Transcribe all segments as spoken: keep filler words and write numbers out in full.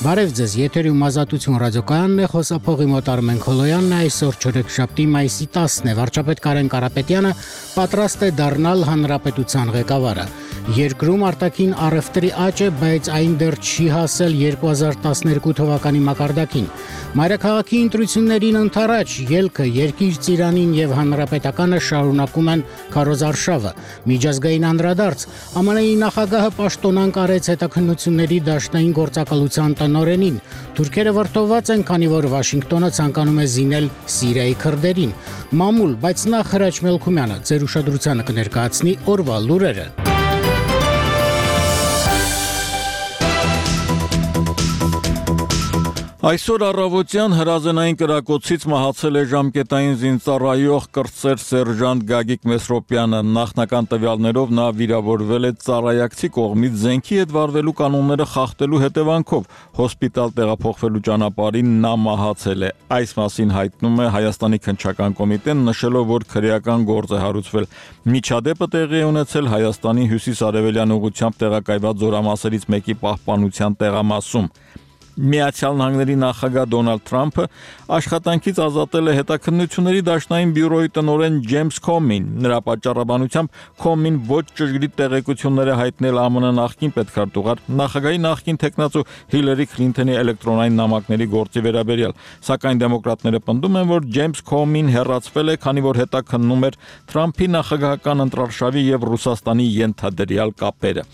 Բարև ձեզ, եթերում ազատություն ռադիոկայանն է, խոսափողի մոտ Արմեն Քոլոյանն է, այսօր չորեքշաբթի մայիսի տասն է, վարչապետ Կարեն Կարապետյանը պատրաստ է դառնալ հանրապետության ղեկավարը։ Երկրում արտաքին առևտրի աճ է, բայց այն դեռ չի հասել երկու հազար տասներկու թվականի մակարդակին։ Մայրաքաղաքի ընտրություններին ընդառաջ ելքը երկիր ծիրանին եւ հանրապետականը շարունակում են քարոզարշավը։ Միջազգային անդրադարձ ԱՄՆ-ի նախագահը պաշտոնանկ արեց հետաքննությունների դաշնային գործակալության տնօրենին։ Թուրքերը վրդովված են, քանի որ Վաշինգտոնը ցանկանում է զինել Սիրիայի քրդերին։ Մամուլ, բայց նախ Հրաչ Մելքումյանը ձեր ուշադրությանը կներկայացնի օրվա լուրերը։ Այսօր առավոտյան հրազենային կրակոցից մահացել է ժամկետային զինծառայող կրտսեր սերժանտ Գագիկ Մեսրոպյանը։ Նախնական տվյալներով նա վիրավորվել է ծառայակցի կողմից զենքի հետ վարվելու կանոնները խախտելու հետևանքով։ Հոսպիտալ տեղափոխվելու ճանապարհին նա մահացել է։ Այս մասին հայտնում է Հայաստանի քննչական կոմիտեն, նշելով, որ քրեական գործ է հարուցվել։ Միջադեպը տեղի է ունեցել Հայաստանի հյուսիս-արևելյան ուղղությամբ տեղակայված զորամասերից մեկի պահպանության տեղամասում։ Միացյալ Նահանգների նախագահ Դոնալդ Թրամփը աշխատանքից ազատել է հետաքննությունների դաշնային բյուրոյի տնօրեն Ջեյմս Քոմին։ Նրա պատճառաբանությամբ Քոմին ոչ ճշգրիտ տեղեկություններ է հայտնել ԱՄՆ նախկին պետքարտուղար, նախագահի նախկին թեկնածու Հիլարի Քլինթոնի էլեկտրոնային նամակների գործի վերաբերյալ։ Սակայն դեմոկրատները պնդում են, որ Ջեյմս Քոմին հեռացվել է, քանի որ հետաքննում էր Թրամփի նախագահական ընտրարշավի եւ Ռուսաստանի ենթադրյալ կապերը։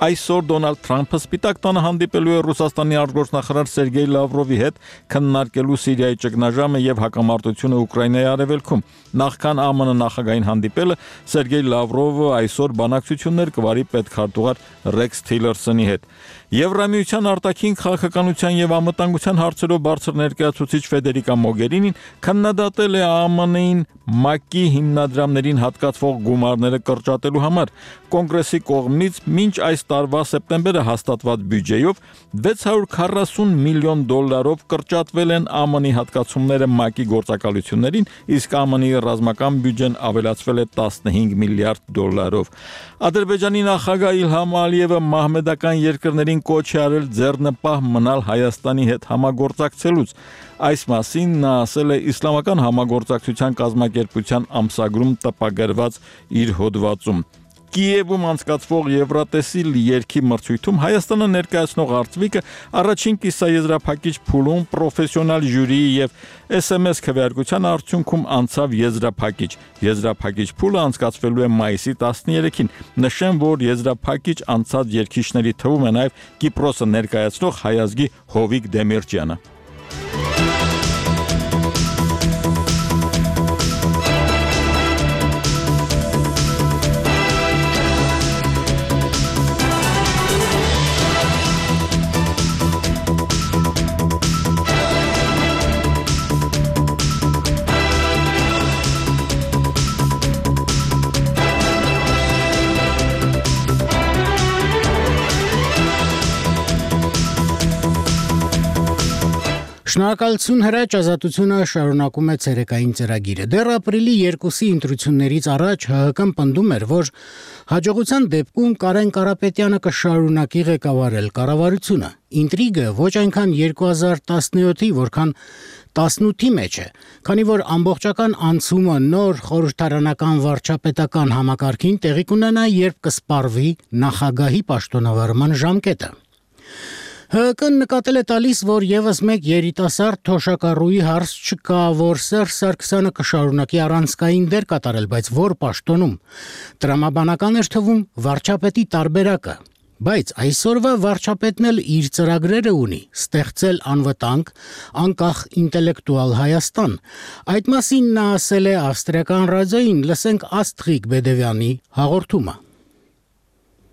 Այսօր Դոնալդ Թրամփը Սպիտակ տանը հանդիպելու է Ռուսաստանի արտգործնախարար Սերգեյ Լավրովի հետ, քննարկելու Սիրիայի ճգնաժամը եւ հակամարտությունը Ուկրաինայի արևելքում։ Նախքան ԱՄՆ նախագահային հանդիպելը Սերգեյ Լավրովը այսօր բանակցություններ կվարի պետքարտուղար Ռեքս Թիլերսոնի հետ։ Եվրամիության արտաքին քաղաքականության եւ անվտանգության հարցերով բարձր ներկայացուցիչ Ֆեդերիկա Մոգերինին քննադատել է ԱՄՆ-ին ՄԱԿ-ի հիմնադրամներին հատկացվող գումարները կրճատելու համար։ Կոնգրեսի կողմից մինչ այս տարվա սեպտեմբերը հաստատված բյուջեով վեց հարյուր քառասուն միլիոն դոլարով կրճատվել են ԱՄՆ-ի հատկացումները ՄԱԿ-ի գործակալություններին, իսկ ԱՄՆ-ի ռազմական բյուջեն ավելացվել է տասնհինգ միլիարդ դոլարով։ Ադրբեջանի նախագահ Իլհամ Ալիևը մահմեդական երկրներին կոչ է արել ձեռնպահ մնալ Հայաստանի հետ համագործակցելուց։ Այս մասին նա ասել է Իսլամական համագործակցության կազմակերպության ամսագրում տպագրված իր հոդվածում։ Կիևում անցկացվող Եվրատեսիլ երգի մրցույթում Հայաստանը ներկայացնող արծվիկը առաջին կիսաեզրափակիչ փուլում պրոֆեսիոնալ ժյուրիի եւ էս էմ էս քվեարկության արդյունքում անցավ եզրափակիչ։ Եզրափակիչ փուլը անցկացվելու է մայիսի տասներեքին։ Նշեմ, որ եզրափակիչ անցած երգիչների թվում է նաեւ Կիպրոսը ներկայացնող հայազգի Հովիկ Դեմիրճյանը։ Շնորհակալություն Հրաչ, ազատությունը շարունակում է ցերեկային ծրագիրը։ Դեռ ապրիլի երկուսի ընտրություններից առաջ ՀՀԿ-ն պնդում էր, որ հաջողության դեպքում Կարեն Կարապետյանը կշարունակի ղեկավարել կառավարությունը։ Ինտրիգը ոչ այնքան երկու հազար տասնյոթի, որքան տասնութի մեջ է, քանի որ ամբողջական անցումը նոր խորհրդարանական վարչապետական համակարգին տեղի կունենա, երբ կսպառվի նախագահի պաշտոնավարման ժամկետը։ ՀՀԿ-ն նկատել է տալիս, որ եւս մեկ երիտասարդ թոշակառուի հարց չկա, որ Սերժ Սարգսյանը կշարունակի առանցքային դեր կատարել, բայց որ պաշտոնում։ Տրամաբանական էր թվում վարչապետի տարբերակը։ Բայց այսօրվա վարչապետն էլ իր ծրագրերը ունի՝ ստեղծել անվտանգ, անկախ ինտելեկտուալ Հայաստան։ Այդ մասին նա ասել է ավստրիական ռադիոյին, լսենք Աստղիկ Բեդևյանի հաղորդումը։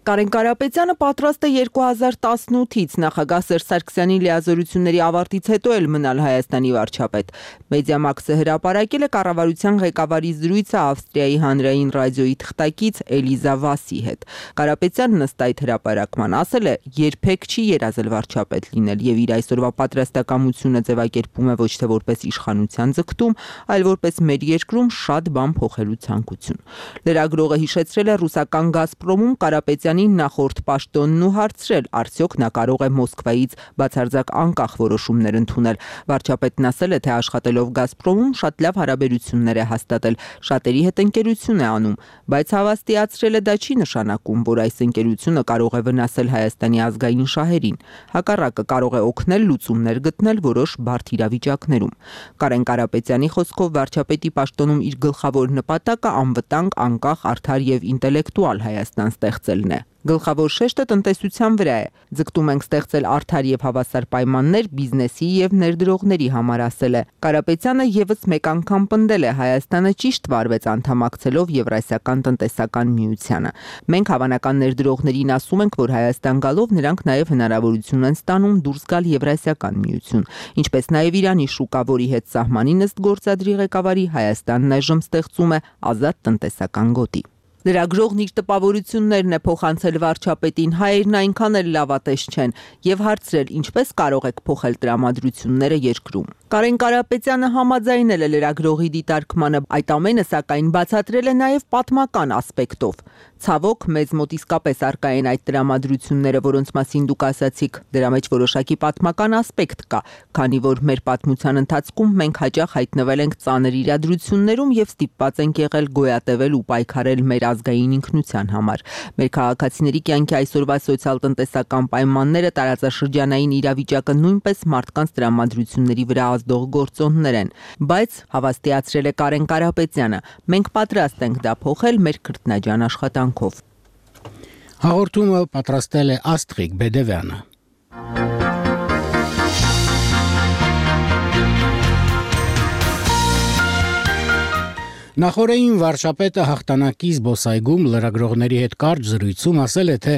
Կարեն Կարապետյանը պատրաստ է երկու հազար տասնութից նախագահ Սերժ Սարգսյանի լիազորությունների ավարտից հետո էլ մնալ Հայաստանի վարչապետ։ Մեդիամաքսը հրապարակել է կառավարության ղեկավարի զրույցը Ավստրիայի հանրային ռադիոյի թղթակից Էլիզա Վասի հետ։ Կարապետյանն ըստ այդ հրապարակման ասել է, երբեք չի երազել վարչապետ լինել եւ իր այսօրվա պատրաստակամությունը ձևակերպում է ոչ թե որպես իշխանության ձգտում, այլ որպես մեր երկրում շատ բան փոխելու ցանկություն։ Լրագրողը հիշեցրել է ռուսական Գազպրոմում Կարապետյանի Սարգսյանին նախորդ պաշտոնն ու հարցրել, արդյոք նա կարող է Մոսկվայից բացարձակ անկախ որոշումներ ընդունել։ Վարչապետն ասել է, թե աշխատելով Գազպրոմում շատ լավ հարաբերություններ է հաստատել, շատերի հետ ընկերություն է անում, բայց հավաստիացրել է դա չի նշանակում, որ այս ընկերությունը կարող է վնասել Հայաստանի ազգային շահերին։ Հակառակը կարող է օգնել լուծումներ գտնել որոշ բարդ իրավիճակներում։ Կարեն Կարապետյանի խոսքով վարչապետի պաշտոնում իր գլխավոր նպատակը անվտանգ, անկախ, արդար եւ ինտելեկտուալ Հայաստան ստեղծելն է։ Գլխավոր շեշտը տնտեսության վրա է։ Ձգտում ենք ստեղծել արդար եւ հավասար պայմաններ բիզնեսի եւ ներդրողների համար, ասել է։ Կարապետյանը եւս մեկ անգամ պնդել է, Հայաստանը ճիշտ վարվեց անդամակցելով Եվրասիական տնտեսական միությանը։ Մենք հավանական ներդրողներին ասում ենք, որ Հայաստան գալով նրանք նաեւ հնարավորություն են ստանում դուրս գալ Եվրասիական միություն, ինչպես նաեւ Իրանի շուկա, որի հետ սահմանին ըստ գործադրի ղեկավարի Հայաստանն այժմ ստեղծում է ազատ տնտեսական գոտի։ Լրագրողն իր տպավորություններն է փոխանցել վարչապետին, հայերն այնքան էլ լավատես չեն եւ հարցրել, ինչպես կարող եք փոխել տրամադրությունները երկրում։ Կարեն Կարապետյանը համաձայնել է լրագրողի դիտարկմանը, այդ ամենը սակայն բացատրել է նաեւ պատմական ասպեկտով։ Ցավոք, մեզ մոտ իսկապես առկա են այդ տրամադրությունները, որոնց մասին դուք ասացիք, դրա մեջ որոշակի պատմական ասպեկտ կա, քանի որ մեր պատմության ընթացքում մենք հաճախ հայտնվել ենք ծանր իրադրություններում եւ ստիպված ենք եղել գոյատևել ու պայքարել մեր ազգային ինքնության համար։ Մեր քաղաքացիների կյանքի այսօրվա սոցիալ-տնտեսական պայմանները, տարածաշրջանային իրավիճակը նույնպես մարդկանց տրամադրությունների վրա ազդող գործոններ են, բայց հավաստիացրել է Կարեն Կարապետյանը, մենք պատրաստ ենք դա փոխել մեր քրտնաջան աշխատանքով։ Հաղորդումը պատրաստել է Աստղիկ Բեդևյանը։ Նախորդին վարչապետը հաղթանակի զբոսայգում լրագրողների հետ կարճ զրույցում ասել է, թե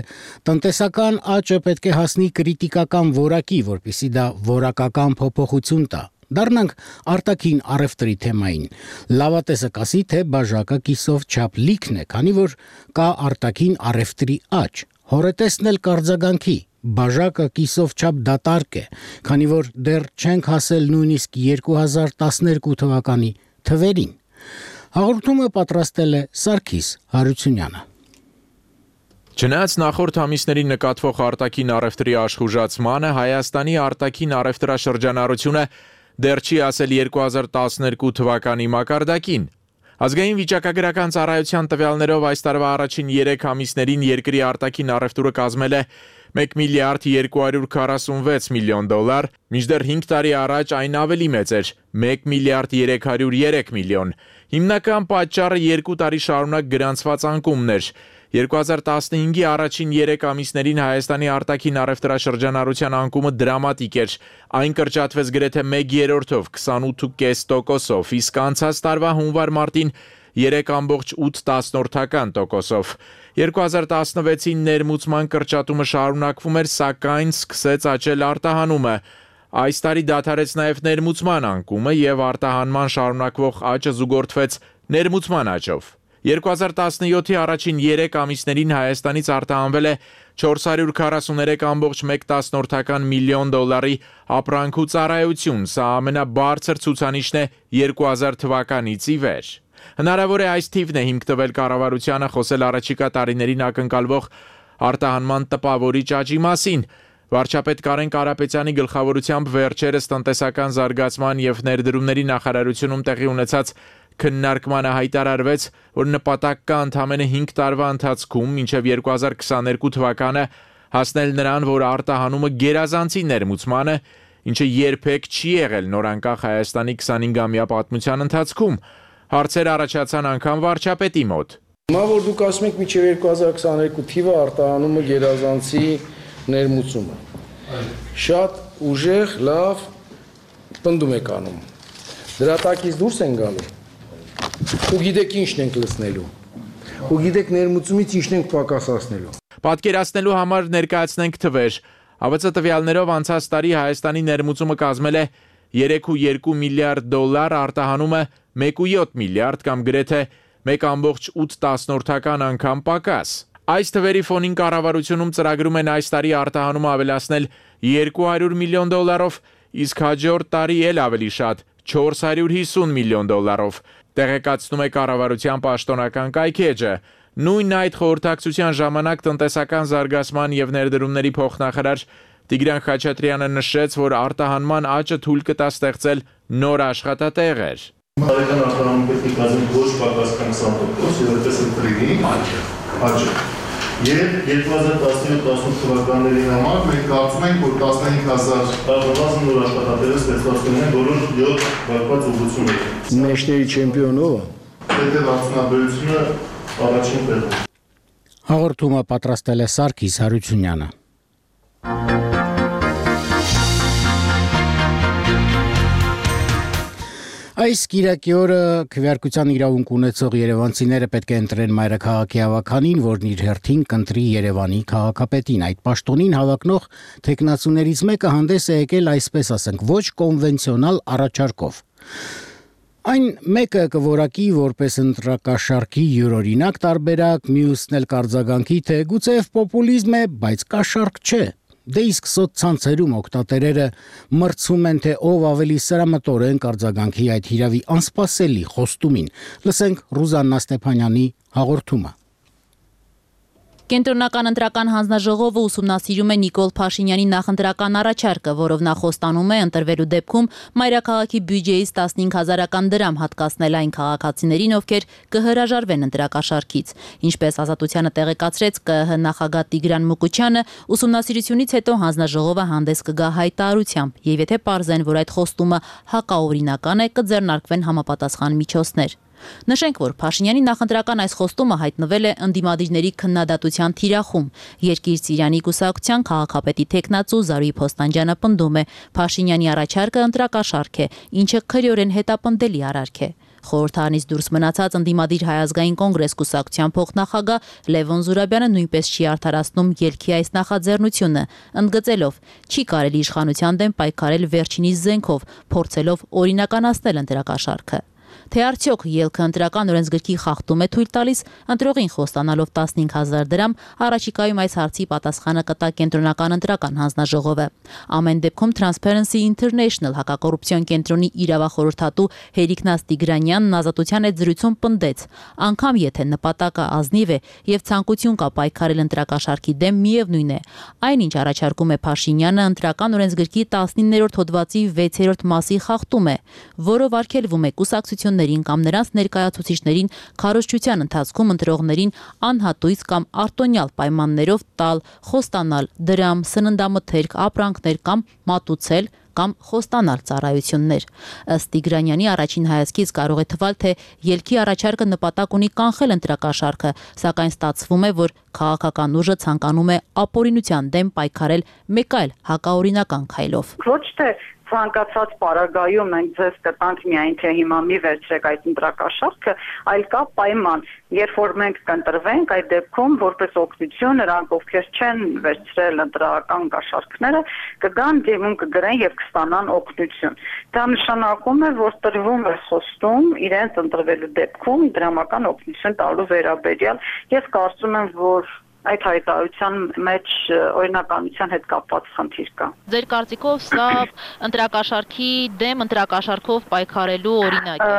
տնտեսական աճը պետք է հասնի կրիտիկական որակի, որպեսզի դա որակական փոփոխություն տա։ Դառնանք արտաքին առևտրի թեմային։ Լավատեսը կասի, թե բաժակը կիսով չափ լիքն է, քանի որ կա արտաքին առևտրի աճ։ Հորետեսն էլ կարձագանքի։ Բաժակը կիսով չափ դատարկ է, քանի որ դեռ չենք հասել նույնիսկ երկու հազար տասներկու թվականի թվերին։ Հաղորդումը պատրաստել է Սարգիս Հարությունյանը։ Չնայած նախորդ ամիսներին նկատվող արտաքին առևտրի աշխուժացմանը, Հայաստանի արտաքին առևտրաշրջանառությունը դեռ չի հասել երկու հազար տասներկու թվականի մակարդակին։ Ազգային վիճակագրական ծառայության տվյալներով այս տարվա առաջին երեք ամիսներին երկրի արտաքին առևտուրը կազմել է մեկ միլիարդ երկու հարյուր քառասունվեց միլիոն դոլար, մինչդեռ հինգ տարի առաջ այն ավելի մեծ էր՝ մեկ միլիարդ երեք հարյուր երեք միլիոն։ Հիմնական պատճառը երկու տարի շարունակ գրանցված անկումն էր։ երկու հազար տասնհինգի առաջին երեք ամիսներին Հայաստանի արտաքին առևտրաշրջանառության անկումը դրամատիկ էր։ Այն կրճատվեց գրեթե մեկ երրորդով, քսանութ կόμμα պենս տոկոսով, իսկ անցած տարվա հունվար-մարտին երեք կόμma ութ տոկոսով։ երկու հազար տասնվեցին ներմուծման կրճատումը շարունակվում էր, սակայն սկսեց աճել արտահանումը։ Այս տարի դադարեց նաև ներմուծման անկումը եւ արտահանման շարունակվող աճը զուգորդվեց ներմուծման աճով։ երկու հազար տասնյոթի առաջին երեք ամիսներին Հայաստանից արտահանվել է չորս հարյուր քառասուներեք կόμma մեկ միլիոն դոլարի ապրանք ու ծառայություն, սա ամենաբարձր ցուցանիշն է երկու հազար թվականից ի վեր։ Հնարավոր է այս թիվն է հիմք տվել կառավարությանը խոսել առաջիկա տարիներին ակնկալվող արտահանման տպավորիչ աճի մասին։ Վարչապետ Կարեն Կարապետյանի գլխավորությամբ վերջերս տնտեսական զարգացման եւ ներդրումների նախարարությունում տեղի ունեցած քննարկմանը հայտարարվեց, որ նպատակ կա ընդամենը հինգ տարվա ընթացքում մինչև երկու հազար քսաներկու թվականը հասնել նրան, որ արտահանումը գերազանցի ներմուծմանը, ինչը երբեք չի եղել նորանկախ Հայաստանի քսանհինգամյա պատմության ընթացքում։ Հարցեր առաջացան անգամ վարչապետի մոտ։ Հիմա որ դուք ասում եք մինչև երկու հազար քսաներկու թիվը արտահանումը գերազանցի ներմուծումը։ Շատ ուժեղ, լավ պնդում եք անում։ Դրա տակից դուրս են գալու։ Ու գիտեք ինչն ենք լցնելու։ Ու գիտեք ներմուծումից ինչն ենք պակասացնելու։ Պատկերացնելու համար ներկայացնենք թվեր։ ԱՎԾ տվյալներով անցած տարի Հայաստանի ներմուծումը կազմել է երեք կόμma երկու միլիարդ դոլար, արտահանումը մեկ կόμma յոթ միլիարդ կամ գրեթե մեկ կόμma ութ անգամ պակաս։ Այս թվերի ֆոնին կառավարությունում ծրագրում են այս տարի արտահանումը ավելացնել երկու հարյուր միլիոն դոլարով, իսկ հաջորդ տարի էլ ավելի շատ՝ չորս հարյուր հիսուն միլիոն դոլարով։ Տեղեկացնում է կառավարության պաշտոնական կայքէջը։ Նույն այդ խորհրդակցության ժամանակ տնտեսական զարգացման եւ ներդրումների փոխնախարար Տիգրան Խաչատրյանը նշեց, որ արտահանման աճը թույլ կտա ստեղծել նոր աշխատատեղեր։ Տարեկան արտահանումների գազի ոչ պակաս քսան տոկոս եւ այդպես էլ կլինի աճը։ Եվ երկու հազար տասնյոթ տասնութ թվականների համար մենք կարծում ենք, որ տասնհինգ հազար բավական նոր աշխատատեղեր ստեղծված կլինեն բոլոր յոթ վարպած ուղղություններում։ Մեջների չեմպիոնը Պետեվարդյունաբերությունը առաջին տեղում։ Հաղորդումը պատրաստել է Սարգիս Հարությունյանը։ Այս կիրակի օրը քվեարկության իրավունք ունեցող երևանցիները պետք է ընտրեն մայրաքաղաքի հավաքանին, որն իր հերթին կընտրի Երևանի քաղաքապետին։ Այդ պաշտոնին հավակնող թեկնածուներից մեկը հանդես է եկել, այսպես ասենք, ոչ կոնվենցիոնալ առաջարկով։ Այն մեկը կորակի որպես ընտրակաշարքի յուրօրինակ տարբերակ, մյուսն էլ կարձագանքի, թե գուցեև պոպուլիզմ է, բայց կաշառք չէ։ Դե իսկ սոցցանցերում օգտատերերը մրցում են, թե ով ավելի սրամտորեն կարձագանքի այդ հիրավի անսպասելի խոստումին։ Լսենք Ռուզաննա Ստեփանյանի հաղորդումը։ Կենտրոնական ընտրական հանձնաժողովը ուսումնասիրում է Նիկոլ Փաշինյանի նախընտրական առաջարկը, որով նա խոստանում է ընտրվելու դեպքում մայրաքաղաքի բյուջեից տասնհինգ հազարական դրամ հատկացնել այն քաղաքացիներին, ովքեր կհրաժարվեն ընտրակաշառքից։ Ինչպես Ազատությանը տեղեկացրեց ԿԸՀ նախագահ Տիգրան Մուկուչյանը, ուսումնասիրությունից հետո հանձնաժողովը հանդես կգա հայտարարությամբ, եւ եթե պարզեն, որ այդ խոստումը հակաօրինական է, կձեռնարկվեն համապատասխան միջոցներ։ Նշենք, որ Փաշինյանի նախընտրական այս խոստումը հայտնվել է ընդդիմադիրների քննադատության թիրախում։ Երկիր Ծիրանի կուսակցության քաղաքապետի թեկնածու Զարուհի Փոստանջյանը պնդում է, Փաշինյանի առաջարկը ընտրակաշառք է, ինչը քրեորեն հետապնդելի արարք է։ Խորհրդարանից դուրս մնացած ընդդիմադիր Հայ ազգային կոնգրես կուսակցության փոխնախագահ Լևոն Զուրաբյանը նույնպես չի արդարացնում ելքի այս նախաձեռնությունը, ընդգծելով՝ չի կարելի իշխանության դեմ պայքարել վերջինիս զենքով, փորձելով օրինականացնել ընտրակաշառքը։ Թե արդյոք ելքը ընտրական օրենսգրքի խախտում է թույլ տալիս, ընտրողին խոստանալով տասնհինգ հազար դրամ, առաջիկայում այս հարցի պատասխանը կտա Կենտրոնական ընտրական հանձնաժողովը։ Ամեն դեպքում Transparency International հակակոռուպցիոն կենտրոնի իրավախորհրդատու Հերիկնաս Տիգրանյանն Ազատության հետ զրույցում պնդեց. անգամ եթե նպատակը ազնիվ է եւ ցանկություն կա պայքարել ընտրակաշառքի դեմ, միևնույն է, այնինչ առաջարկում է Փաշինյանը ընտրական օրենսգրքի տասնիններորդ հոդվածի վեցերորդ մասի խախտում է, որով արգելվում է կուսակցություններին կամ նրանց ներկայացուցիչներին քարոզչության ընթացքում ընտրողներին անհատույց կամ արտոնյալ պայմաններով տալ, խոստանալ դրամ, սննդամթերք, ապրանքներ կամ մատուցել կամ խոստանալ ծառայություններ։ Ըստ Տիգրանյանի առաջին հայացքից կարող է թվալ, թե ելքի առաջարկը նպատակ ունի կանխել ընտրակաշառքը, սակայն ստացվում է, որ քաղաքական ուժը ցանկանում է ապօրինության դեմ պայքարել մեկ այլ հակաօրինական քայլով։ Ոչ թե ցանկացած պարագայում մենք ձեզ կտանք միայն թե հիմա մի վերցրեք այդ ընտրակաշառքը, այլ կա պայման, երբ որ մենք կընտրվենք, այդ դեպքում որպես օգնություն նրանք, ովքեր չեն վերցրել ընտրական կաշառքները, կգան դիմում կգրեն եւ կստանան օգնություն։ Դա նշանակում է, որ տրվում է խոստում իրենց ընտրվելու դեպքում դրամական օգնություն տալու վերաբերյալ։ Ես կարծում եմ, որ այդ հայտարարության մեջ օրինականության հետ կապված խնդիր կա։ Ձեր կարծիքով սա ընտրակաշառքի դեմ ընտրակաշառքով պայքարելու օրինակ է։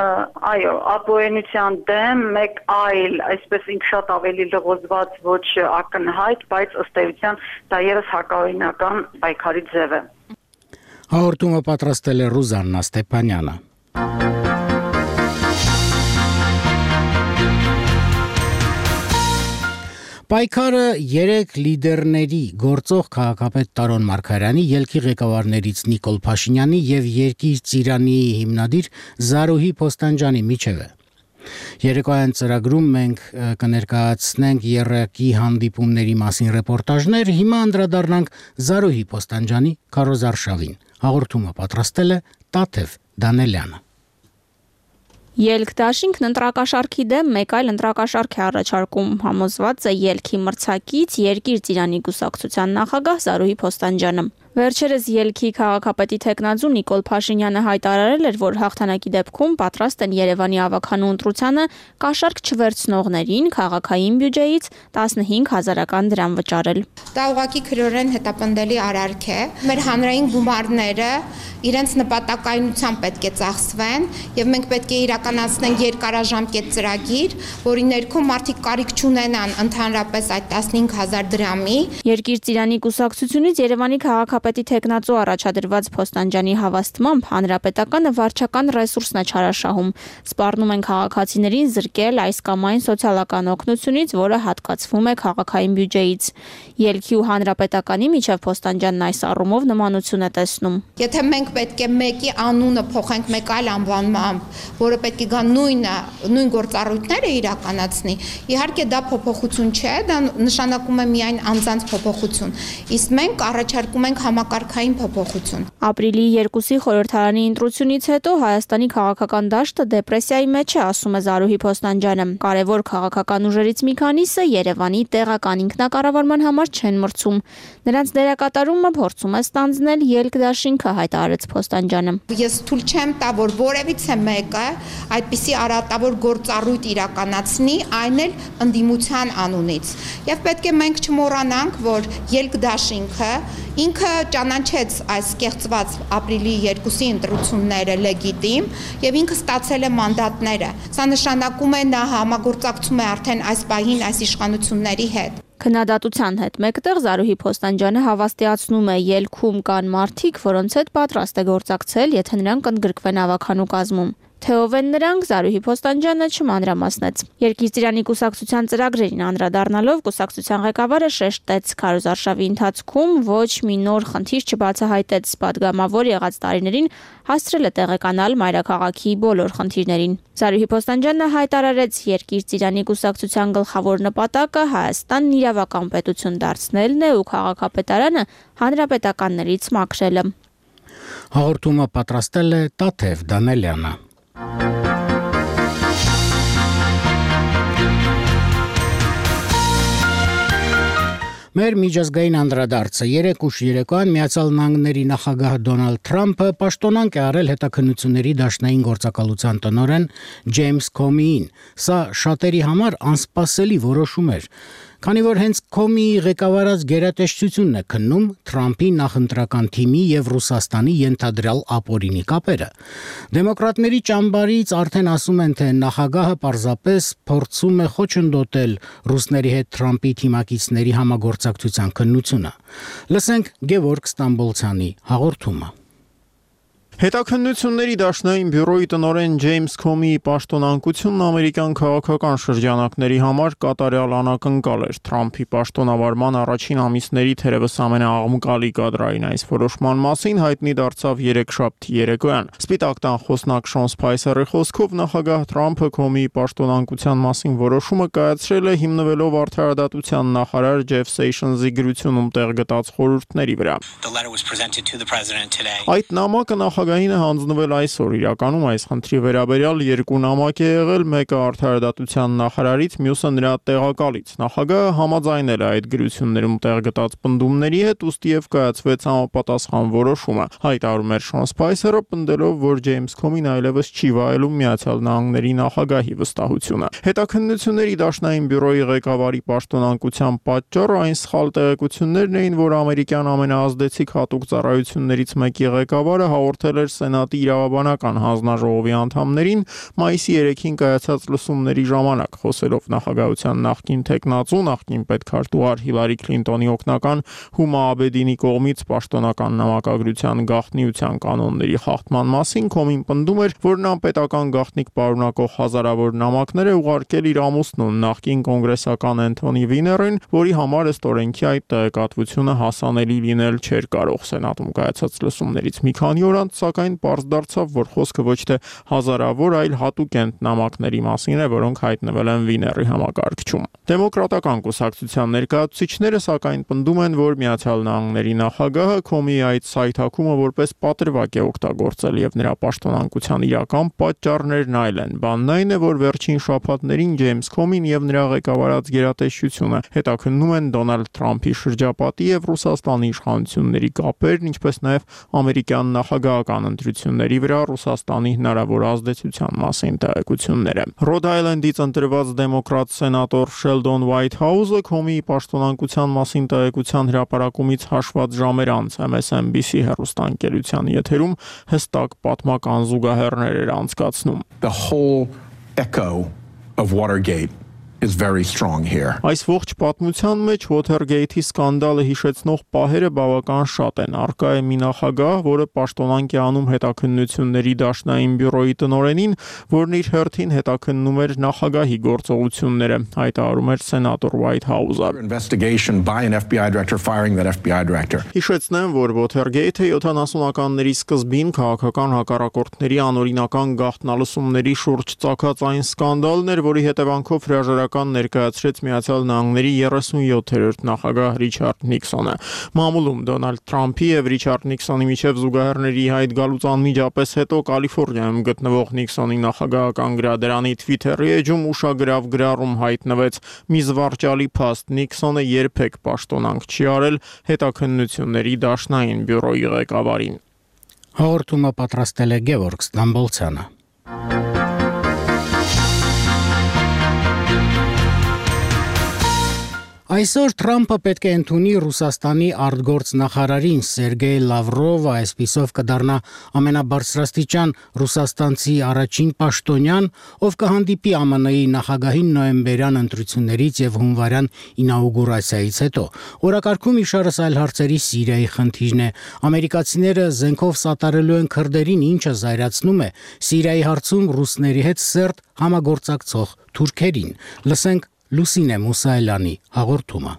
Այո, ապօրինության դեմ մեկ այլ, այսպես ինք շատ ավելի լղոզված, ոչ ակնհայտ, բայց ըստ էության դա ևս հակաօրինական պայքարի ձև է։ Հաղորդումը պատրաստել է Ռուզաննա Ստեփանյանը։ Պայքարը երեք լիդերների գործող քաղաքապետ Տարոն Մարգարյանի, ելքի ղեկավարներից Նիկոլ Փաշինյանի եւ Երկիր Ծիրանի հիմնադիր Զարուհի Փոստանջյանի միջև է։ Երեկոյան ծրագրում մենք կներկայացնենք եռակի հանդիպումների մասին ռեպորտաժներ, հիմա անդրադառնանք Զարուհի Փոստանջյանի քարոզարշավին։ Հաղորդումը պատրաստել է Տաթև Դանելյանը։ Ելք դաշինքն ընտրակաշառքի դեմ մեկ այլ ընտրակաշառք է առաջարկում, համոզված է ելքի մրցակից Երկիր Ծիրանի կուսակցության նախագահ Զարուհի Փոստանջյանը։ Վերջերս ելքի քաղաքապետի թեկնածու Նիկոլ Փաշինյանը հայտարարել էր, որ հաղթանակի դեպքում պատրաստ են Երևանի ավագանու ընտրությանը կաշառք չվերցնողներին քաղաքային բյուջեից տասնհինգ հազարական դրամ վճարել։ Դա ուղղակի քրորեն հետապնդելի արարք է։ Մեր հանրային գումարները իրենց նպատակայնությամբ պետք է ծախսվեն եւ մենք պետք է իրականացնենք երկարաժամկետ ծրագիր, որի ներքո մարդիկ կարիք չունենան ընդհանրապես այդ տասնհինգ հազար դրամի։ Երկիր ծիրանի կուսակցությունից Երևանի քաղաքապետի թեկնածու առաջադրված Փոստանջյանի հավաստմամբ հանրապետականը վարչական ռեսուրսն է չարաշահում։ Սպառնում են քաղաքացիներին զրկել այս կամ այն սոցիալական օգնությունից, որը հատկացվում է քաղաքային բյուջեից։ Ելքի ու հանրապետականի միջև Փոստանջյանն այս առումով նմանություն է տեսնում։ Եթե մենք պետք է մեկի անունը փոխենք մեկ այլ անվանմամբ, որը պետք է գա նույնը, նույն գործառույթները իրականացնի, իհարկե դա փոփոխություն չէ, դա նշանակում է միայն անձանց փոփոխություն։ Իսկ մենք առաջարկում ենք համակարգային փոփոխություն։ Ապրիլի երկուսի խորհրդարանի ընտրությունից հետո Հայաստանի քաղաքական դաշտը դեպրեսիայի մեջ է, ասում է Զարուհի Փոստանջյանը։ Կարևոր քաղաքական ուժերից մի քանիսը Երևանի տեղական ինքնակառավարման համար չեն մրցում։ Նրանց դերակատարումը փորձում է ստանձնել ելք դաշինքը, հայտարարեց Փոստանջյանը։ Ես թույլ չեմ տա, որ որևիցե մեկը այդպիսի արատավոր գործառույթ իրականացնի, այն էլ ընդդիմության անունից։ Եվ պետք է մենք չմոռանանք, որ ելք դաշինքը ինքը ճանաչեց այս կեղծված ապրիլի երկուսի ընտրությունները լեգիտիմ եւ ինքը ստացել է մանդատները։ Սա նշանակում է նա համագործակցում է արդեն այս պահին այս իշխանությունների հետ։ Քննադատության հետ մեկտեղ Զարուհի Փոստանջյանը հավաստիացնում է ելքում կան մարդիկ, որոնց հետ պատրաստ է գործակցել, եթե նրանք ընդգրկվեն ավագանու կազմում։ Թե ով են նրանք, Զարուհի Փոստանջյանը չմանրամասնեց։ Երկիր ծիրանի կուսակցության ծրագրերին անդրադառնալով կուսակցության ղեկավարը շեշտեց քարոզարշավի ընթացքում ոչ մի նոր խնդիր չբացահայտեց, պատգամավոր եղած տարիներին հասցրել է տեղեկանալ մայրաքաղաքի բոլոր խնդիրներին։ Զարուհի Փոստանջյանը հայտարարեց, Երկիր ծիրանի կուսակցության գլխավոր նպատակը Հայաստանն իրավական պետություն դարձնելն է ու քաղաքապետարանը հանրապետականներից մաքրելը։ Հաղորդումը պատրաստել է Տաթև Դանելյանը։ Մեր միջազգային անդրադարձը երեք ուշ երեկոյան Միացյալ Նահանգների նախագահ Դոնալդ Թրամփը պաշտոնանկ է արել հետաքննությունների դաշնային գործակալության տնօրեն Ջեյմս Քոմիին։ Սա շատերի համար անսպասելի որոշում էր, քանի որ հենց Քոմիի ղեկավարած գերատեսչությունն է քննում Թրամփի նախընտրական թիմի եւ Ռուսաստանի ենթադրյալ ապօրինի կապերը։ Դեմոկրատների ճամբարից արդեն ասում են, թե նախագահը պարզապես փորձում է խոչընդոտել ռուսների հետ Թրամփի թիմակիցների համագործակցության քննությունը։ Լսենք Գևորգ Ստամբոլցյանի հաղորդումը։ Հետաքննությունների դաշնային բյուրոյի տնօրեն Ջեյմս Քոմիի պաշտոնանկությունն ամերիկյան քաղաքական շրջանակների համար կատարյալ անակնկալ էր։ Թրամփի պաշտոնավարման առաջին ամիսների թերևս ամենաաղմկալի կադրային այս որոշման մասին հայտնի դարձավ երեքշաբթի երեկոյան։ Սպիտակ տան խոսնակ Շոն Սփայսերի խոսքով նախագահ Թրամփը Քոմիի պաշտոնանկության մասին որոշումը կայացրել է հիմնվելով արդարադատության նախարար Ջեֆ Սեյշնզի գրությունում տեղ գտած խորհուրդների վրա։ Այդ նամակը նախագահին է հանձնվել այսօր։ Իրականում այս խնդրի վերաբերյալ երկու նամակ է եղել, մեկը արդարադատության նախարարից, մյուսը նրա տեղակալից։ Նախագահը համաձայնել է այդ գրություններում տեղ գտած պնդումների հետ, ուստիև կայացվեց համապատասխան որոշումը։ Հայտարարում էր Շոն Սփայսերը, պնդելով, որ Ջեյմս Քոմին այլևս չի վայելում Միացյալ Նահանգների նախագահի վստահությունը։ Հետաքննությունների դաշնային բյուրոյի ղեկավարի պաշտոնանկության պատճառը այն սխալ տեղեկություններն էին, որ ամերիկյան ամենաազդեցիկ հատուկ ծառայություններից մեկի ղեկավարը հաղորդել էր Սենատի իրավաբանական հանձնաժողովի անդամներին մայիսի երեքին կայացած լսումների ժամանակ, խոսելով նախագահության նախկին թեկնածու, նախկին պետքարտուղար Հիլարի Քլինտոնի օգնական Հումա Աբեդինի կողմից պաշտոնական նամակագրության գաղտնիության կանոնների խախտման մասին, Քոմին պնդում էր, որ նա պետական գաղտնիք պարունակող հազարավոր նամակներ է ուղարկել իր ամուսնուն, նախկին կոնգրեսական Էնթոնի Վիներին, որի համար ըստ օրենքի այդ տեղեկատվությունը հասանելի լինել չէր կարող։ Սենատում կայացած լսումներից մի քանի օր անց սակայն պարզ դարձավ, որ խոսքը ոչ թե հազարավոր, այլ հատուկենտ նամակների մասին է, որոնք հայտնվել են Վիների համակարգչում։ Դեմոկրատական կուսակցության ներկայացուցիչները սակայն պնդում են, որ Միացյալ Նահանգների նախագահը Քոմիի այդ սայթակումը որպես պատրվակ է օգտագործել եւ նրա պաշտոնանկության իրական պատճառներն այլ են։ Բանն այն է, որ վերջին շաբաթներին Ջեյմս Քոմին եւ նրա ղեկավարած գերատեսչությունը հետաքննում են Դոնալդ Թրամփի շրջապատի եւ Ռուսաստանի իշխանությունների կապերն, ինչպես նաեւ ամերիկյան նախագահական ընտրությունների վրա Ռուսաստանի հնարավոր ազդեցության մասին տեղեկությունները։ Ռոդ Այլենդից ընտրված դեմոկրատ սենատոր Շելդոն Ուայթհաուզը Քոմիի պաշտոնանկության մասին տեղեկության հրապարակումից հաշված ժամեր անց M S N B C հեռուստաընկերության եթերում հստակ պատմական զուգահեռներ էր անցկացնում։ The whole echo of Watergate is very strong here. Այս ողջ պատմության մեջ Watergate-ի սկանդալը հիշեցնող պահերը բավական շատ են։ Արկա է մի նախագահ, որը պաշտոնանկ է անում հետաքննությունների դաշնային բյուրոյի տնօրենին, որն իր հերթին հետաքննում էր նախագահի գործողությունները, հայտարարում էր սենատոր Ուայթհաուզը։ Investigation by an F B I director firing that F B I director. Հիշեցնեմ, որ Watergate-ը յոթանասունականների սկզբին քաղաքական հակառակորդների անօրինական գաղտնալսումների շուրջ ծագած այն սկանդալն էր, որի հետևանքով հրաժարական ներկայացրեց Միացյալ Նահանգների երեսունյոթերորդ նախագահ Ռիչարդ Նիքսոնը։ Մամուլում Դոնալդ Թրամփի եւ Ռիչարդ Նիքսոնի միջև զուգահեռների հայտ գալուց անմիջապես հետո Կալիֆոռնիայում գտնվող Նիքսոնի նախագահական գրադարանի Twitter-ի էջում ուշագրավ գրառում հայտնվեց՝ մի զվարճալի փաստ, Նիքսոնը երբեք պաշտոնանկ չի արել հետաքննությունների դաշնային բյուրոյի ղեկավարին։ Հաղորդումը պատրաստել է Գևորգ Ստամբոլցյանը։ Այսօր Թրամփը պետք է ընդունի Ռուսաստանի արտգործնախարարին Սերգեյ Լավրովը, այսպիսով կդառնա ամենաբարձրաստիճան ռուսաստանցի առաջին պաշտոնյան, ով կհանդիպի Ամն Ի նախագահին նոյեմբերյան ընտրություններից եւ հունվարյան ինաուգուրացիայից հետո։ Օրակարգում իշարս այլ հարցերի Սիրիայի խնդիրն է։ Ամերիկացիները զենքով սատարելու են քրդերին, ինչը զայրացնում է Սիրիայի հարցում ռուսների հետ սերտ համագործակցող թուրքերին։ Լսենք Լուսինե Մուսայելյանի հաղորդումը։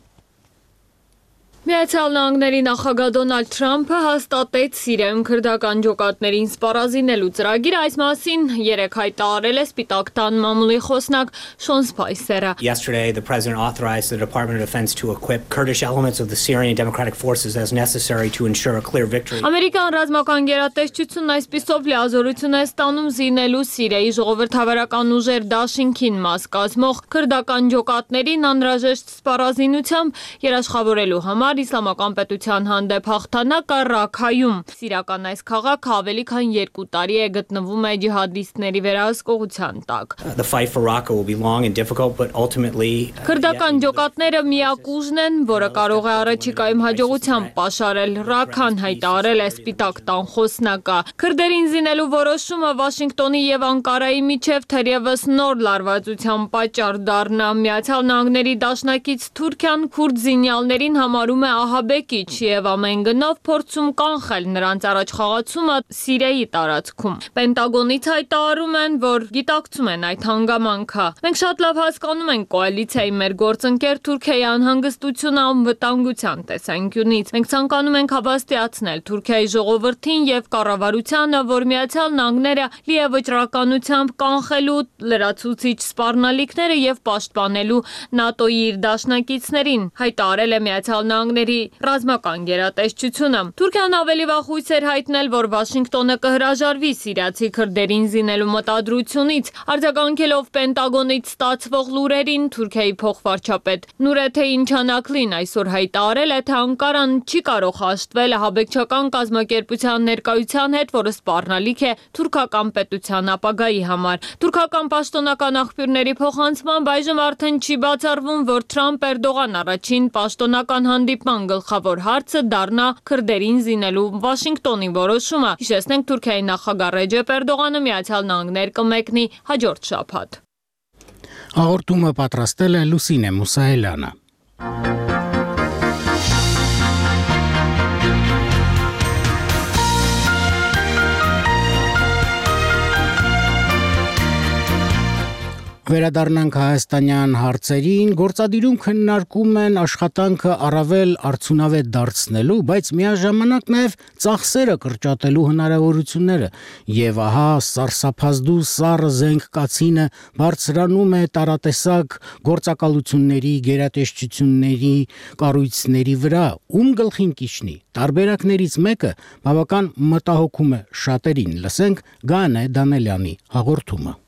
Միացյալ Նահանգների նախագահ Դոնալդ Թրամփը հաստատեց Սիրիայում քրդական ջոկատներին սպառազինելու ծրագիրը, այս մասին երեկ հայտարարել է Սպիտակ տան մամուլի խոսնակ Շոն Սպայսերը։ Yesterday the president authorized the Department of Defense to equip Kurdish elements of the Syrian Democratic Forces as necessary to ensure a clear victory. Ամերիկան ռազմական գերատեսչությունն այսպիսով լիազորություն է ստանում զինելու Սիրիայի ժողովրդավարական ուժեր դաշինքին մաս կազմող քրդական ջոկատներին անհրաժեշտ սպառազինությամբ երաշխավորելու համար Իսլամական պետության հանդեպ հաղթանակը Ռաքայում։ Սիրիական այս քաղաքը ավելի քան երկու տարի է գտնվում է ջիհադիստների վերահսկողության տակ։ The fight for Raqqa will be long and difficult, but ultimately Քրդական ջոկատները միակ ուժն են, որը կարող է առաջիկայում հաջողությամբ պաշարել Ռաքան, հայտարարել է Սպիտակ տան խոսնակը։ Քրդերին զինելու որոշումը Վաշինգտոնի եւ Անկարայի միջև թերևս նոր լարվածության պատճառ դառնա։ Միացյալ Նահանգների դաշնակից Թուրքիան քուրդ զինյալներին համարում է ահաբեկիչ եւ ամեն գնով փորձում կանխել նրանց առաջխաղացումը Սիրիայի տարածքում։ Պենտագոնից հայտարարում են, որ գիտակցում են այդ հանգամանքը։ Մենք շատ լավ հասկանում ենք կոալիցիայի մեր գործընկեր Թուրքիայի անհանգստությունը անվտանգության տեսանկյունից։ Մենք ցանկանում ենք հավաստիացնել Թուրքիայի ժողովրդին եւ կառավարությանը, որ Միացյալ Նահանգները լի է վճռականությամբ կանխելու լրացուցիչ սպառնալիքները եւ պաշտպանելու ՆԱՏՕ-ի իր դաշնակիցներին, հայտարարել է Միացյալ Նահանգների ռազմական գերատեսչությունը։ Թուրքիան ավելի վաղ հույս էր հայտնել, որ Վաշինգտոնը կհրաժարվի սիրիացի քրդերին զինելու մտադրությունից, արձագանքելով Պենտագոնից ստացվող լուրերին, Թուրքիայի փոխվարչապետ Նուրեթե Ինչանաքլին այսօր հայտարարել է, թե Անկարան չի կարող հաշտվել ահաբեկչական կազմակերպության ներկայության հետ, որը սպառնալիք է թուրքական պետության ապագայի համար։ Թուրքական պաշտոնական աղբյուրների փոխանցմամբ այժմ արդեն չի բացառվում, որ Թրամփ-Էրդողան առաջին պաշտոնական հանդիպման գլխավոր հարցը դառնա քրդերին զինելու Վաշինգտոնի որոշումը։ Հիշեցնենք, Թուրքիայի նախագահ Ռեջեփ Էրդողանը Միացյալ Նահանգներ կմեկնի հաջորդ շաբաթ։ Հաղորդումը պատրաստել է Լուսինե Մուսայելյանը։ Վերադառնանք հայաստանյան հարցերին, գործադիրում քննարկում են աշխատանքը առավել արդյունավետ դարձնելու, բայց միաժամանակ նաև ծախսերը կրճատելու հնարավորությունները, եւ ահա սարսափազդու սառը զենք կացինը բարձրանում է տարատեսակ գործակալությունների, գերատեսչությունների, կառույցների վրա, ում գլխին կիջնի։ Տարբերակներից մեկը բավական մտահոգում է շատերին։ Լսենք Գանե Դանելյանի հաղորդումը։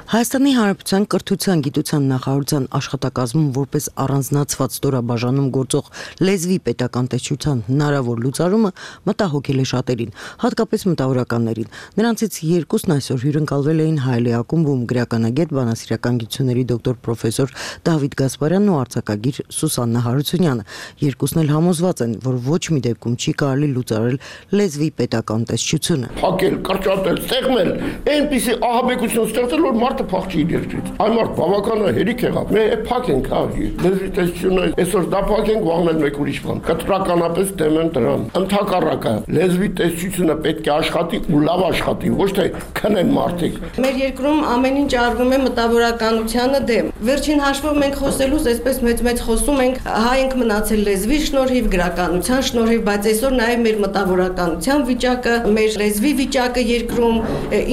Հայաստանի Հանրապետության կրթության, գիտության նախարարության աշխատակազմում որպես առանձնացված ստորաբաժանում գործող լեզվի պետական տեսչության հնարավոր լուծարումը մտահոգել է շատերին, հատկապես մտավորականներին։ Նրանցից երկուսն այսօր հյուրընկալվել էին Հայելի ակումբում գրականագետ, բանասիրական գիտությունների դոկտոր պրոֆեսոր Դավիթ Գասպարյանն ու արձակագիր Սուսաննա Հարությունյանը։ Երկուսն էլ համոզված են, որ ոչ մի դեպքում չի կարելի լուծարել լեզվի պետական տեսչությունը։ Փակել, կրճատել, ստեղմել, այնպիսի ահաբեկություն ստեղծել, որ մարդը փախչի իր երկրից։ Այն մարդ բավական հերիք եղավ։ Մենք փակենք, հա, լեզվի տեսչությունը այսօր դա փակենք, վաղն էլ մեկ ուրիշ բան։ Կտրականապես դեմ եմ դրան։ Ընդհակառակը լեզվի տեսչությունը պետք է աշխատի ու լավ աշխատի, ոչ թե քնեն մարդիկ։ Մեր երկրում ամեն ինչ արվում է մտավորականությանը դեմ։ Վերջին հաշվով մենք խոսելուց այսպես մեծ-մեծ խոսում ենք, հայ ենք մնացել լեզվի շնորհիվ, գրականության շնորհիվ, բայց այսօր նաև մեր մտավորականության վիճակը, մեր լեզվի վիճակը երկրում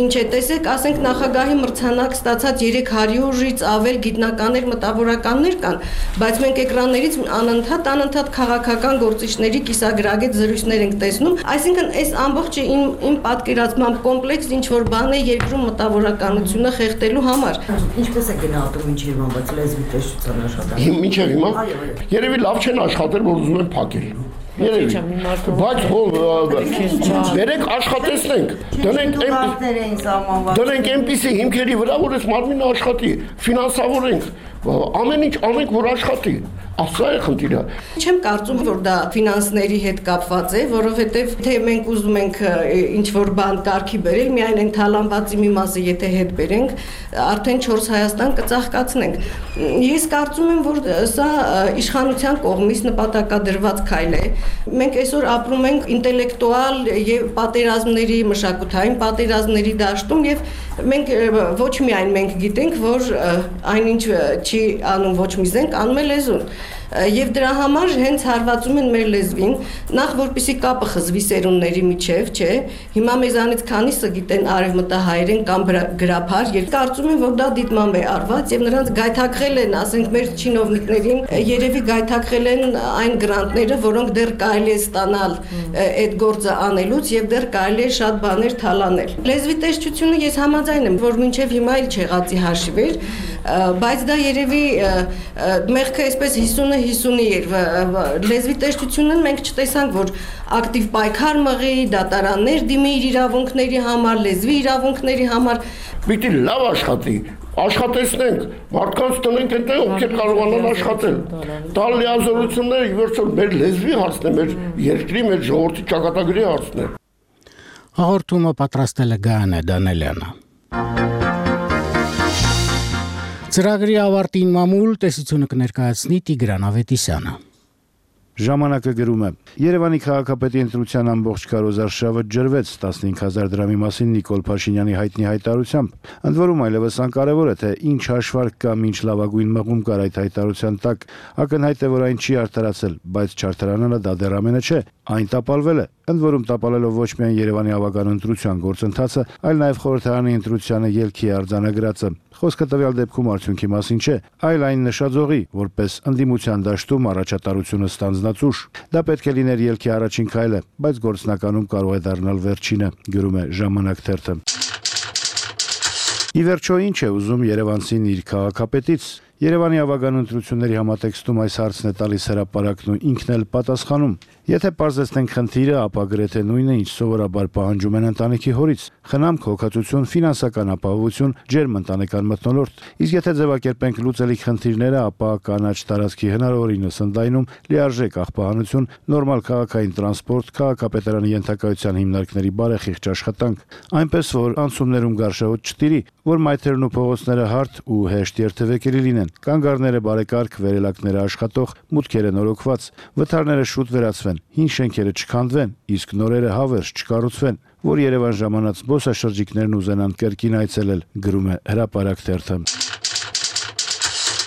ինչ է, տեսեք, ասենք նախագահի մրցանակ ստացած երեք հարյուրից ավել գիտնականներ, մտավորականներ կան, բայց մենք էկրաններից անընդհատ անընդհատ քաղաքական գործիչների կիսագրագետ զրույցներ ենք տեսնում, այսինքն այս ամբողջը իմ իմ պատկերացմամբ կոմպլեքս ինչ որ բան է երկրում մտավորականությունը խեղդելու համար։ Ինչպես է գնահատում ինչեր բանված լեզվի տեսչության աշխատանքը։ Մինչև հիմա երևի լավ չեն աշխատել, որ ուզում են փակել։ Երևի, բայց վերեք աշխատեցնենք, դնենք այնպիսի հիմքերի վրա, որ այս մարմինը աշխատի, ֆինանսավորենք, ամեն ինչ անենք, որ աշխատի, ասա է խնդիրը։ Չեմ կարծում, որ դա ֆինանսների հետ կապված է, որովհետև թե մենք ուզում ենք ինչ-որ բան կարգի բերել, միայն այն թալանվածի մի մասը եթե հետ բերենք, արդեն չորս Հայաստան կծաղկացնենք։ Ես կարծում եմ, որ սա իշխանության կողմից նպատակադրված քայլ է։ Մենք այսօր ապրում ենք ինտելեկտուալ եւ պատերազմների, մշակութային պատերազմների դաշտում եւ մենք ոչ միայն մենք գիտենք, որ այնինչ չի անում ոչ մի զենք, անում է լեզուն։ Եվ դրա համար հենց հարվածում են մեր լեզվին, նախ որպեսի կապը խզվի սերունդների միջև, չէ։ Հիմա մեզանից քանիսը գիտեն արևմտահայերեն կամ գրաբար, եւ կարծում եմ, որ դա դիտմամբ է արված եւ նրանց գայթակղել են, ասենք մեր չինովնիկներին, երևի գայթակղել են այն գրանտները, որոնք դեռ կարելի է ստանալ այդ գործը անելուց եւ դեռ կարելի է շատ բաներ թալանել։ Լեզվի տեսչությունը ես համաձայն եմ, որ մինչեւ հիմա էլ չեղածի հաշիվ էր, բայց դա երևի մեղքը այսպես հիսունը հիսունի էր, լեզվի տեսչությունը մենք չտեսանք, որ ակտիվ պայքար մղի, դատարաններ դիմի իր իրավունքների համար, լեզվի իրավունքների համար։ Պիտի լավ աշխատի, աշխատեցնենք, մարդկանց տնենք այնտեղ, ովքեր կարողանան աշխատել։ Տալ լիազորությունները ի վերջո մեր լեզվի հարցն է, մեր երկրի, մեր ժողովրդի ճակատագրի հարցն է։ Հաղորդումը պատրաստել է Գանե Դանելյանը։ Ծրագրի ավարտին մամուլ տեսությունը կներկայացնի Տիգրան Ավետիսյանը։ Ժամանակը գրում է. Երևանի քաղաքապետի ընտրության ամբողջ քարոզարշավը ջրվեց տասնհինգ հազար դրամի մասին Նիկոլ Փաշինյանի հայտնի հայտարարությամբ։ Ընդ որում այլևս անկարևոր է, թե ինչ հաշվարկ կամ ինչ լավագույն մղում կար այդ հայտարարության տակ, ակնհայտ է, որ այն չի արդարացել, բայց չարդարանալը դա դեռ ամենը չէ, այն տապալվել է։ Ընդ որում տապալելով ոչ միայն Երևանի ավագան ընտրության գործընթացը, այլ նաև խորհրդարանի ընտրությանը ելքի արձանագրածը։ Խոսքը տվյալ դեպքում արդյունքի մասին չէ, այլ այն նշաձողի, որպես ընդդիմության դաշտում առաջատարությունը ստանձնած ուժ։ Դա պետք է լիներ ելքի առաջին քայլը, բայց գործնականում կարող է դառնալ վերջինը, գրում է Ժամանակ թերթը։ Ի վերջո ինչ է ուզում Երևանցին իր քաղաքապետից։ Երևանի ավագան ընտրությունների համատեքստում այս հարցն է տալիս հրապարակն ու ինքն էլ պատասխանում։ Եթե պարզեցնենք խնդիրը, ապա գրեթե նույնը, ինչ սովորաբար պահանջում են ընտանիքի հորից՝ խնամք, հոգացություն, ֆինանսական ապահովություն, ջերմ ընտանեկան մթնոլորտ։ Իսկ եթե ձևակերպենք լուծելիք խնդիրները, ապա կանաչ տարածքի հնարավորինս ընդայնում, լիարժեք աղբահանություն, նորմալ քաղաքային տրանսպորտ, քաղաքապետարանի ենթակայության հիմնարկների բարեխիղճ աշխատանք, այնպես որ անցումներում գարշահոտ չտիրի, որ մայթերն ու փողոցները հարթ ու հեշտ երթևեկելի լինեն, կանգառները բարեկարգ, վերելակները աշխատող, մուտքերը նորոգված, վթարները շուտ վերացվեն, հին շենքերը չքանդվեն, իսկ նորերը հավերժ չկառուցվեն, որ Երևան ժամանած զբոսաշրջիկներն ուզենան կրկին այցելել, գրում է Հրապարակ թերթը։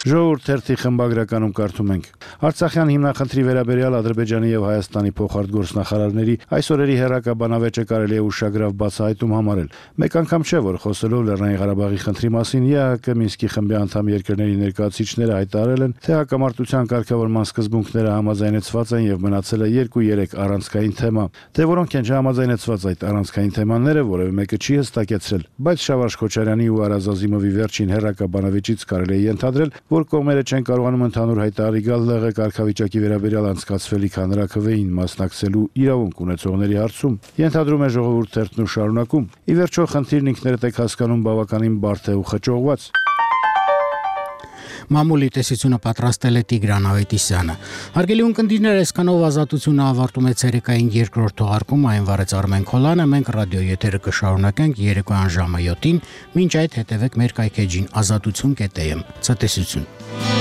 Ժողովուրդ թերթի խմբագրականում կարդում ենք. Արցախյան հիմնախնդրի վերաբերյալ Ադրբեջանի եւ Հայաստանի փոխարտգործնախարարների այսօրերի հերրակաբանավեճը կարելի է ուշագրավ բացահայտում համարել։ Մեկ անգամ չէ, որ խոսելով Լեռնային Ղարաբաղի խնդրի մասին ԵԱՀԿ Մինսկի խմբի անդամ երկրների ներկայացուցիչները հայտարարել են, թե հակամարտության կարգավորման սկզբունքները համաձայնեցված են եւ մնացել է երկու-երեք առանցքային թեմա։ Դե որոնք են չհամաձայնեցված այդ առանցքային թեմաները, որևէ մեկը չի հստակեցրել, բայց Շավարժ Քոչարյանի ու Արազ Ազիմովի վերջին հերրակաբանավեճից կարելի է ենթադրել, որ կողմերը չեն կարողանում ընդհանուր հայտարարի գալ ԼՂ կարգավիճակի վերաբերյալ անցկացվելիք հանրաքվեին մասնակցելու իրավունք ունեցողների հարցում։ Ենթադրում է Ժողովուրդ թերթն ու շարունակում. ի վերջո խնդիրն ինքներդ եք հասկանում բավականին բարդ է ու խճողված։ Մամուլի տեսությունը պատրաստել է Տիգրան Ավետիսյանը։ Հարգելի ունկնդիրներ, այսքանով ազատությունը ավարտում է ցերեկային երկրորդ թողարկումը, այն վարեց Արմեն Քոլանը, մենք ռադիո եթերը կշարունակենք երեկոյան ժամը յոթին, մինչ այդ հետևեք մեր կայքեջին ազատություն կետ am։ Ցտեսություն։